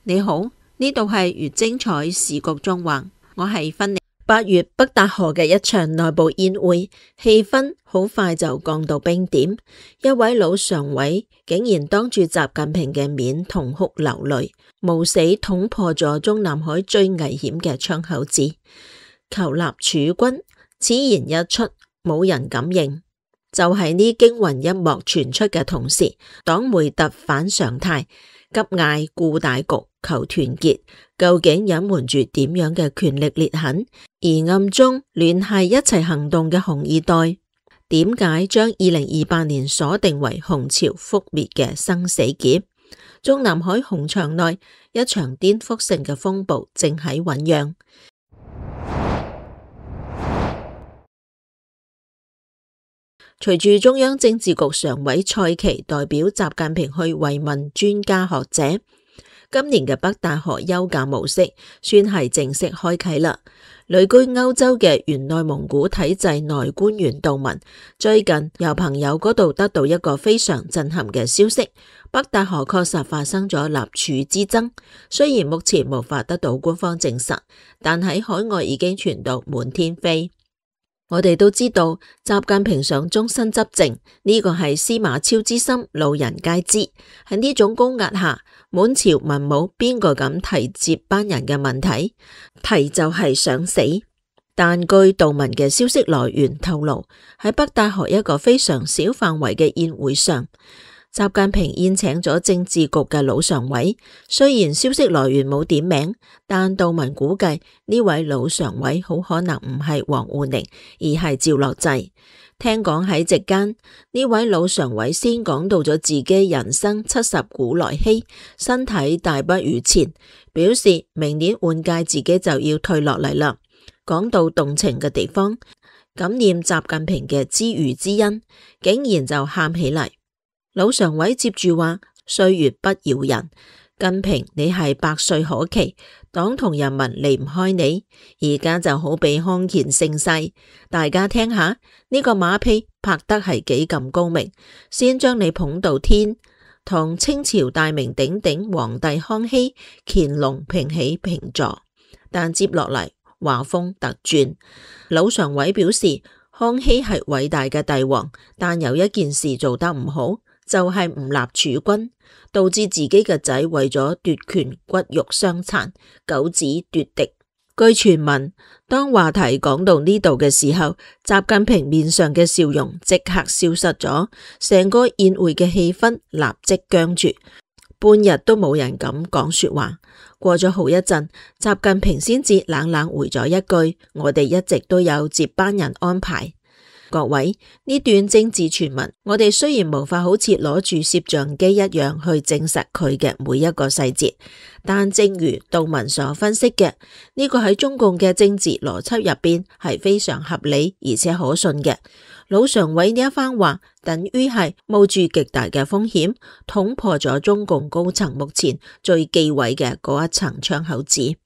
你好，呢度係越精彩時局縱橫，我係芬妮。8月北戴河嘅一場內部宴會，氣氛好快就降到冰點。一位老常委竟然當住習近平嘅面痛哭流淚，冒死捅破咗中南海最危險嘅窗口子，求立儲君。此言一出，冇人敢認。就係呢驚魂一幕傳出嘅同時，黨媒突反常態，急嗌顧大局、求團結，究竟隱瞞住點樣嘅權力裂痕？而暗中聯繫一齊行動嘅紅二代，點解將2028年鎖定為紅潮覆滅嘅生死劫？中南海紅牆內一場顛覆性嘅風暴正喺醞釀。隨住中央政治局常委蔡奇代表習近平去慰問專家學者，今年嘅北戴河休假模式算係正式開啟啦。旅居歐洲嘅原內蒙古體制內官員杜文最近由朋友嗰度得到一個非常震撼嘅消息，北戴河確實發生咗立儲之爭，雖然目前無法得到官方證實，但喺海外已經傳到滿天飛。我哋都知道習近平想終身執政，呢個係司馬昭之心，路人皆知。喺呢種高壓下，滿朝文武邊個敢提接班人嘅問題？提就係想死。但據杜文嘅消息來源透露，喺北戴河一個非常小範圍嘅宴會上，習近平宴請咗政治局嘅老常委，雖然消息來源冇點名，但杜文估計呢位老常委好可能唔係王滬寧，而係趙樂際。聽講喺席間，呢位老常委先講到咗自己人生70古來稀，身體大不如前，表示明年換屆自己就要退落嚟啦。講到動情嘅地方，感念習近平嘅知遇之恩，竟然就喊起嚟。老常委接住話：歲月不饒人，近平你係百歲可期，黨同人民離唔開你，而家就好比康乾盛世，大家聽下呢個馬屁拍得係幾咁高明，先將你捧到天，同清朝大名鼎鼎皇帝康熙、乾隆平起平坐，但接落嚟話風突轉，老常委表示康熙係偉大嘅帝王，但有一件事做得唔好，就係唔立儲君，導致自己嘅仔為咗奪權骨肉相殘，九子奪嫡。據傳聞，當話題講到呢度嘅時候，習近平面上嘅笑容即刻消失咗，成個宴會嘅氣氛立即僵住，半日都冇人敢講說話。過咗好一陣，習近平先至冷冷回咗一句：我哋一直都有接班人安排。各位，呢段政治傳聞，我哋雖然無法好似攞住攝像機一樣去證實佢嘅每一個細節，但正如杜文所分析嘅，呢個喺中共嘅政治邏輯入邊係非常合理而且可信嘅。老常委呢一番話，等於係冒住極大嘅風險，捅破咗中共高層目前最忌諱嘅嗰一層窗口紙。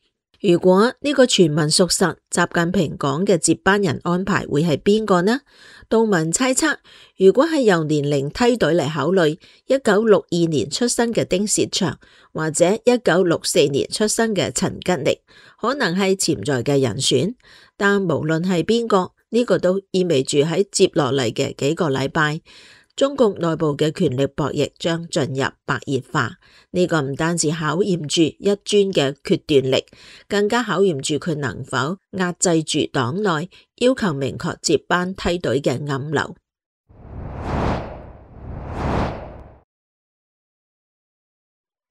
如果呢個傳聞屬實，習近平講嘅接班人安排會係邊個呢？杜文猜測，如果係由年齡梯隊嚟考慮，1962年出生嘅丁薛祥或者1964年出生嘅陳吉寧，可能係潛在嘅人選。但無論係邊個，呢個都意味住喺接落嚟嘅幾個禮拜，中共內部嘅權力博弈將進入白熱化。呢個唔單止考驗住一尊嘅決斷力，更加考驗住佢能否壓制住黨內要求明確接班梯隊嘅暗流。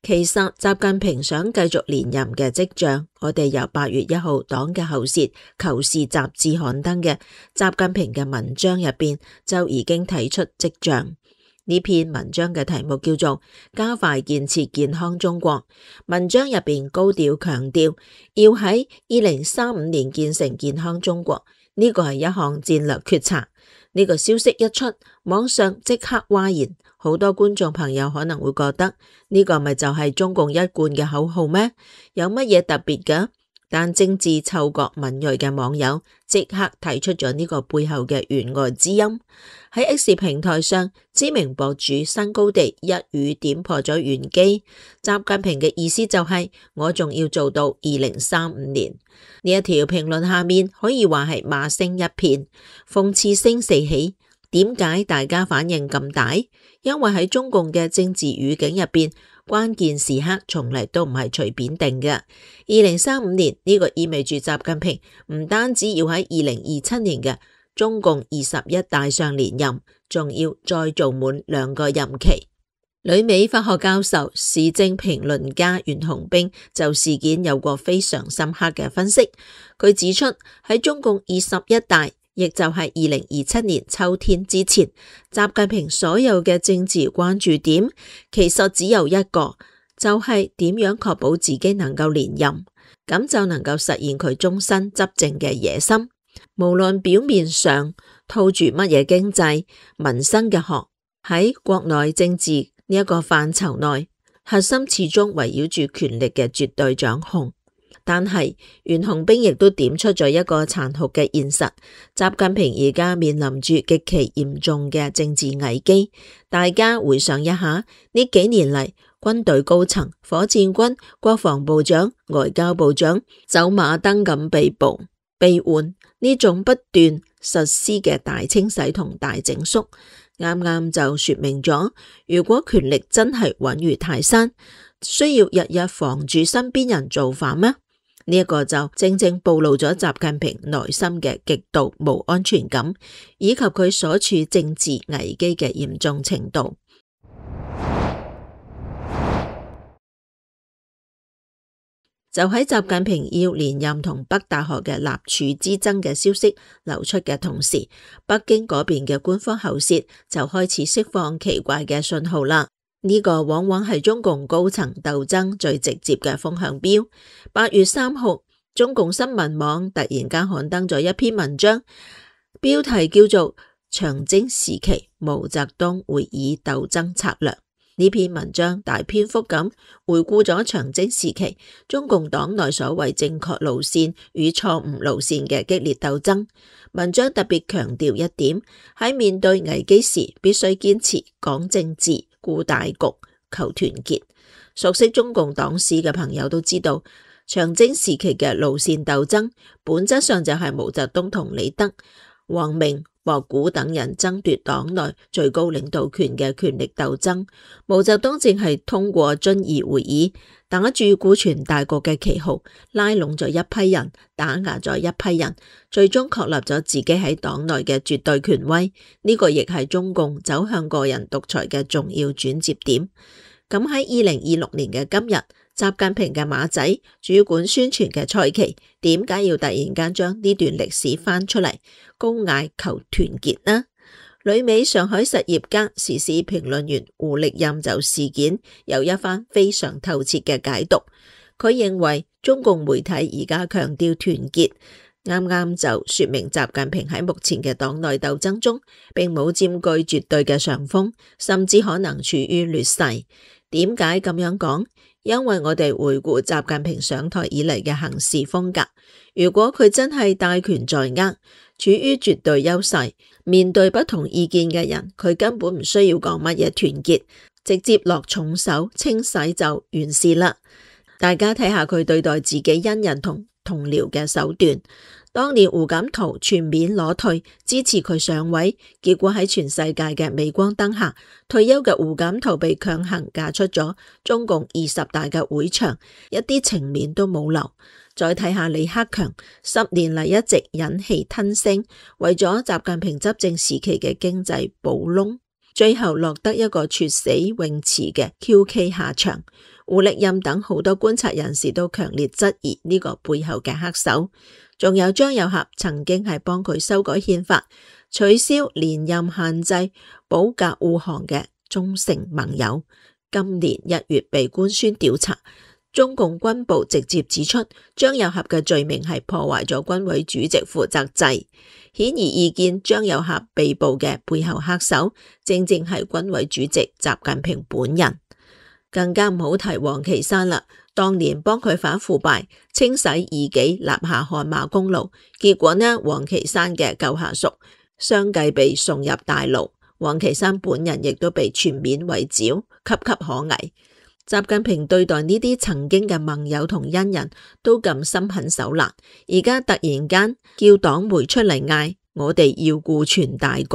其實習近平想繼續連任嘅跡象，我哋由8月1號黨嘅喉舌《求是》雜誌刊登嘅習近平嘅文章入邊就已經睇出跡象。呢篇文章嘅題目叫做《加快建設健康中國》，文章入邊高調強調要喺2035年建成健康中國，呢個係一項戰略決策。呢個消息一出，網上即刻譁然，好多觀眾朋友可能會覺得呢個咪就係中共一貫嘅口號咩？有乜嘢特別㗎？但政治嗅覺敏銳嘅網友即刻提出咗呢個背後嘅弦外之音。喺 X 平台上，知名博主新高地一語點破咗玄機，習近平嘅意思就係我仲要做到2035年。呢一條評論下面可以話係罵聲一片，諷刺聲四起。點解大家反應咁大？因為喺中共嘅政治語境入邊，關鍵時刻從嚟都唔係隨便定嘅。2035年呢個意味住習近平唔單止要喺2027年嘅中共21大上連任，仲要再做滿2個任期。旅美法學教授、時政評論家袁洪兵就事件有過非常深刻嘅分析。佢指出喺中共21大，亦就係2027年秋天之前，習近平所有嘅政治關注點其實只有一個，就係點樣確保自己能夠連任，咁就能夠實現佢終身執政嘅野心。無論表面上套住乜嘢經濟、民生嘅殼，喺國內政治呢一個範疇內，核心始終圍繞住權力嘅絕對掌控。但係袁洪兵亦都點出咗一個殘酷嘅現實，習近平而家面臨住極其嚴重嘅政治危機。大家回想一下，呢幾年嚟，軍隊高層、火箭軍、國防部長、外交部長走馬燈咁被捕、被換，呢種不斷實施嘅大清洗同大整肅，啱啱就說明咗，如果權力真係穩如泰山，需要日日防住身邊人造反咩？呢一個就正正暴露咗習近平內心嘅極度冇安全感，以及佢所處政治危機嘅嚴重程度。就喺習近平要連任同北大學嘅立處之爭嘅消息流出嘅同時，北京嗰邊嘅官方喉舌就開始釋放奇怪嘅信號啦。呢個往往係中共高層鬥爭最直接嘅風向標。8月3號，中共新聞網突然間刊登咗一篇文章，標題叫做《長征時期毛澤東會議鬥爭策略》。呢篇文章大篇幅咁回顧咗長征時期中共黨內所謂正確路線與錯誤路線嘅激烈鬥爭。文章特別強調一點，喺面對危機時必須堅持講政治、顧大局、求團結。熟悉中共黨史嘅朋友都知道，長征時期嘅路線鬥爭本質上就係毛澤東同李德、王明、博古等人爭奪黨內最高領導權嘅權力鬥爭。毛澤東正係通過遵義會議，打住顧全大局嘅旗號，拉攏咗一批人，打壓咗一批人，最終確立咗自己喺黨內嘅絕對權威。呢個亦係中共走向個人獨裁嘅重要轉折點。咁喺2026年嘅今日，習近平嘅馬仔主管宣傳嘅蔡奇，點解要突然間將呢段歷史翻出嚟，高嗌求團結呢？旅美上海實業家、時事評論員胡力任就事件有一番非常透徹嘅解讀。佢認為中共媒體而家強調團結，啱啱就說明習近平喺目前嘅黨內鬥爭中，並冇佔據絕對嘅上風，甚至可能處於劣勢。點解咁樣講？因為我哋回顧習近平上台以嚟嘅行事風格，如果佢真係大權在握，處於絕對優勢，面對不同意見嘅人，佢根本唔需要講乜嘢團結，直接落重手清洗就完事啦。大家睇下佢對待自己恩人同同僚嘅手段。當年胡錦濤全面裸退支持佢上位，結果喺全世界嘅鎂光燈下，退休嘅胡錦濤被強行嫁出咗中共20大嘅會場，一啲情面都冇留。再睇下李克強，10年嚟一直忍氣吞聲，為咗習近平執政時期嘅經濟補窿，最後落得一個猝死泳池嘅 QK 下場。胡力任等好多觀察人士都強烈質疑呢個背後嘅黑手。仲有張又俠曾經係幫佢修改憲法、取消連任限制、保駕護航嘅忠誠盟友，今年1月被官宣調查。中共軍部直接指出，張又俠嘅罪名係破壞咗軍委主席負責制，顯而易見張又俠被捕嘅背後黑手，正正係軍委主席習近平本人。更加唔好提王岐山啦。當年幫佢反腐敗、清洗異己、立下汗馬功勞，結果呢，王岐山嘅舊下屬相繼被送入大牢，王岐山本人亦都被全面圍剿，岌岌可危。習近平對待呢啲曾經嘅盟友同恩人都咁心狠手辣，而家突然間叫黨媒出嚟嗌我哋要顧全大局，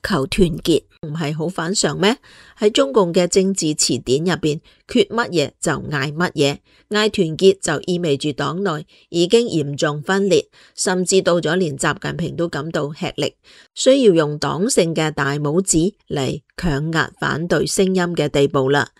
求團結，唔係好反常咩？喺中共嘅政治詞典入邊，缺乜嘢就嗌乜嘢，嗌團結就意味住黨內已經嚴重分裂，甚至到咗連習近平都感到吃力，需要用黨性嘅大拇指嚟強壓反對聲音嘅地步啦。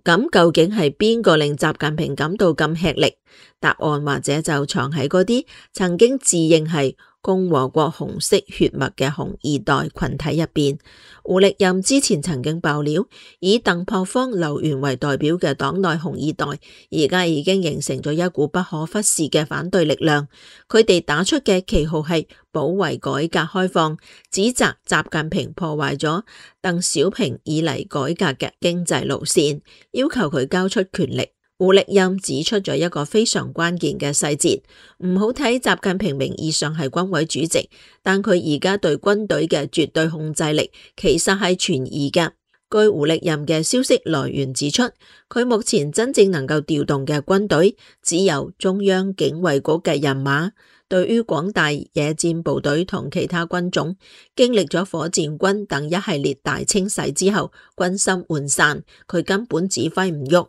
咁究竟係邊個令習近平感到咁吃力？答案或者就藏喺嗰啲曾經自認係共和國紅色血脈嘅紅二代群體入邊。胡力任之前曾經爆料，以鄧樸方、劉源為代表嘅黨內紅二代，而家已經形成咗一股不可忽視嘅反對力量。佢哋打出嘅旗號係保衛改革開放，指責習近平破壞咗鄧小平以嚟改革嘅經濟路線，要求佢交出權力。胡力任指出咗一個非常關鍵嘅細節，唔好睇習近平名義上係軍委主席，但佢而家對軍隊嘅絕對控制力其實係存疑嘅。據胡力任嘅消息來源指出，佢目前真正能夠調動嘅軍隊只有中央警衛局嘅人馬。對於廣大野戰部隊同其他軍種，經歷咗火箭軍等一系列大清洗之後，軍心渙散，佢根本指揮唔喐。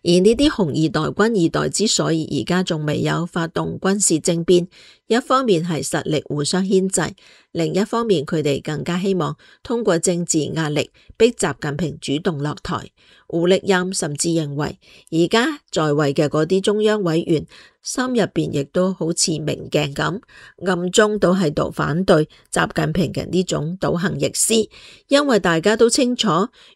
而呢啲紅二代、軍二代之所以而家仲未有發動軍事政變，一方面係實力互相牽制，另一方面佢哋更加希望通過政治壓力逼習近平主動落台。胡力任甚至認為，而家在位嘅嗰啲中央委員心入邊亦都好似明鏡咁，暗中都喺度反對習近平嘅呢種倒行逆施，因為大家都清楚，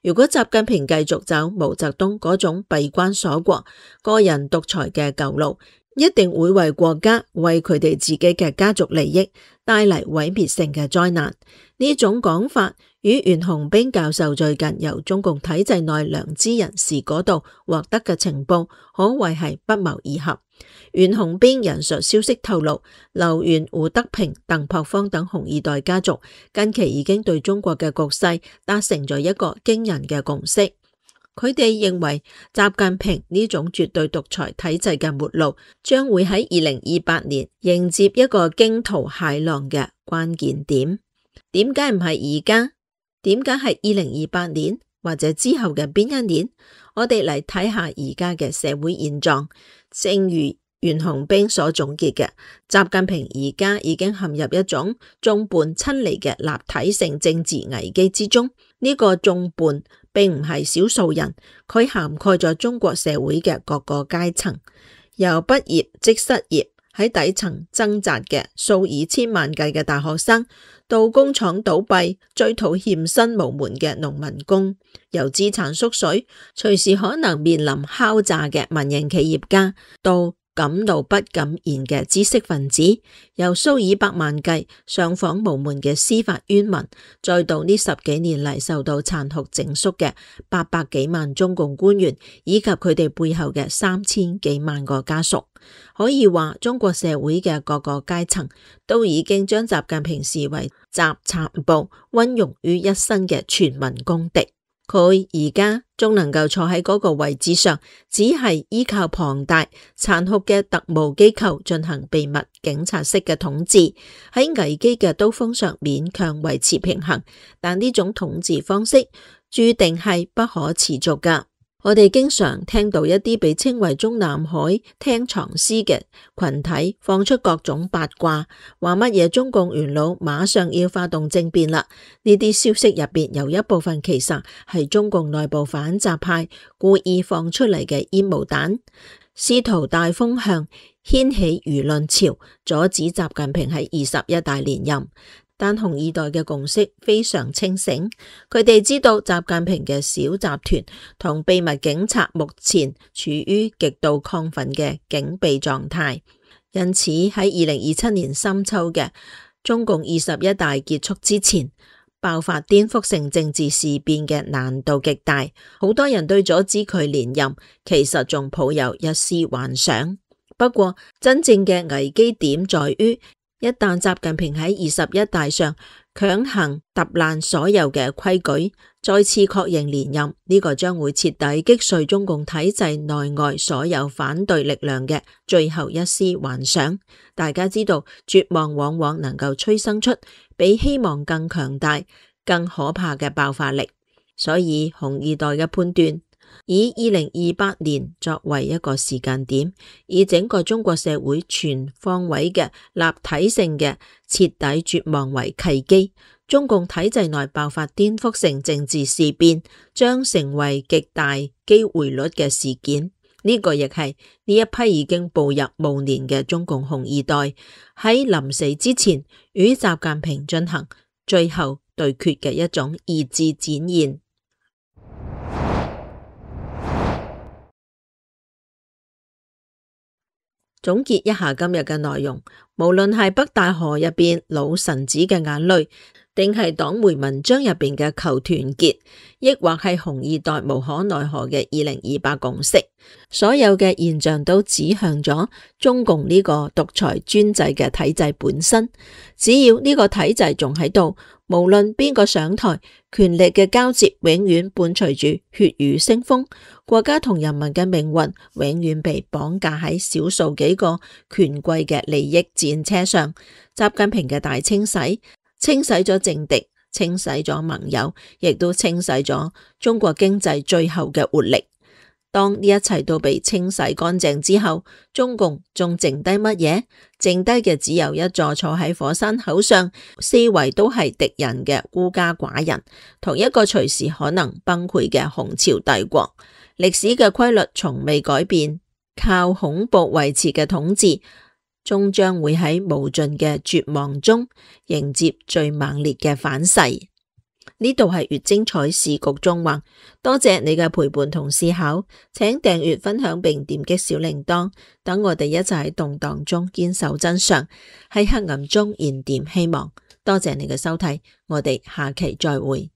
如果習近平繼續走毛澤東嗰種閉關鎖國、個人獨裁嘅舊路，一定會為國家、為佢哋自己嘅家族利益帶嚟毀滅性嘅災難。呢種講法與袁洪兵教授最近由中共體制內良知人士嗰度獲得嘅情報，可謂係不謀而合。袁洪兵引述消息透露，劉源、胡德平、鄧樸方等紅二代家族近期已經對中國嘅局勢達成咗一個驚人嘅共識。佢哋認為習近平呢種絕對獨裁體制嘅末路，將會喺2028年迎接一個驚濤駭浪嘅關鍵點。點解唔係而家？點解係2028年或者之後嘅邊一年？我哋嚟睇下而家嘅社會現狀。正如袁洪兵所總結嘅，習近平而家已經陷入一種眾叛親離嘅立體性政治危機之中。呢個眾叛並唔係少數人，佢涵蓋咗中國社會嘅各個階層，由畢業即失業喺底層掙扎嘅數以千萬計嘅大學生，到工廠倒閉追討欠薪無門嘅農民工，由資產縮水隨時可能面臨敲詐嘅民營企業家，到敢怒不敢言嘅知識分子，由數以百萬計上訪無門嘅司法冤民，再到呢10幾年嚟受到殘酷整肅嘅800幾萬中共官員，以及佢哋背後嘅3000幾萬個家屬，可以話中國社會嘅各個階層都已經將習近平視為集殘暴溫庸於一身嘅全民公敵。佢而家仲能夠坐喺嗰個位置上，只係依靠龐大殘酷嘅特務機構進行秘密警察式嘅統治，喺危機嘅刀鋒上勉強維持平衡，但呢種統治方式注定係不可持續㗎。我哋經常聽到一啲被稱為中南海聽藏屍嘅群體放出各種八卦，話乜嘢中共元老馬上要發動政變啦。呢啲消息入邊有一部分其實係中共內部反習派故意放出嚟嘅煙霧彈，試圖帶風向，掀起輿論潮，阻止習近平喺21大連任。但紅二代嘅共識非常清醒，佢哋知道習近平嘅小集團同秘密警察目前處於極度亢奮嘅警備狀態，因此喺2027年深秋嘅中共21大結束之前，爆發顛覆性政治事變嘅難度極大，好多人對阻止佢連任其實仲抱有一絲幻想。不過真正嘅危機點在於，一旦習近平喺21大上強行揼爛所有嘅規矩，再次確認連任，呢個將會徹底擊碎中共體制內外所有反對力量嘅最後一絲幻想。大家知道，絕望往往能夠催生出比希望更強大、更可怕嘅爆發力。所以紅二代嘅判斷，以2028年作為一個時間點，以整個中國社會全方位嘅立體性嘅徹底絕望為契機，中共體制內爆發顛覆性政治事變將成為極大機會率嘅事件。呢個亦係呢一批已經步入暮年嘅中共紅二代喺臨死之前與習近平進行最後對決嘅一種意志展現。總結一下今日嘅內容，無論係北大河入邊老臣子嘅眼淚，定係黨媒文章入邊嘅求團結，抑或係紅二代無可奈何嘅2028共識，所有嘅現象都指向咗中共呢個獨裁專制嘅體制本身。只要呢個體制仲喺度，無論邊個上台，權力嘅交接永遠伴隨住血雨腥風，國家同人民嘅命運永遠被綁架喺少數幾個權貴嘅利益戰車上。習近平嘅大清洗，清洗咗政敵，清洗咗盟友，亦都清洗咗中國經濟最後嘅活力。當呢一切都被清洗乾淨之後，中共仲剩低乜嘢？剩低嘅只有一座坐喺火山口上，四圍都係敵人嘅孤家寡人，同一個隨時可能崩潰嘅紅潮帝國。歷史嘅規律從未改變，靠恐怖維持嘅統治，終將會喺無盡嘅絕望中迎接最猛烈嘅反噬。呢度係越精彩時局縱橫，多謝你嘅陪伴同思考，請訂閱分享並點擊小鈴鐺，等我哋一齊喺動盪中堅守真相，喺黑暗中燃點希望。多謝你嘅收睇，我哋下期再會。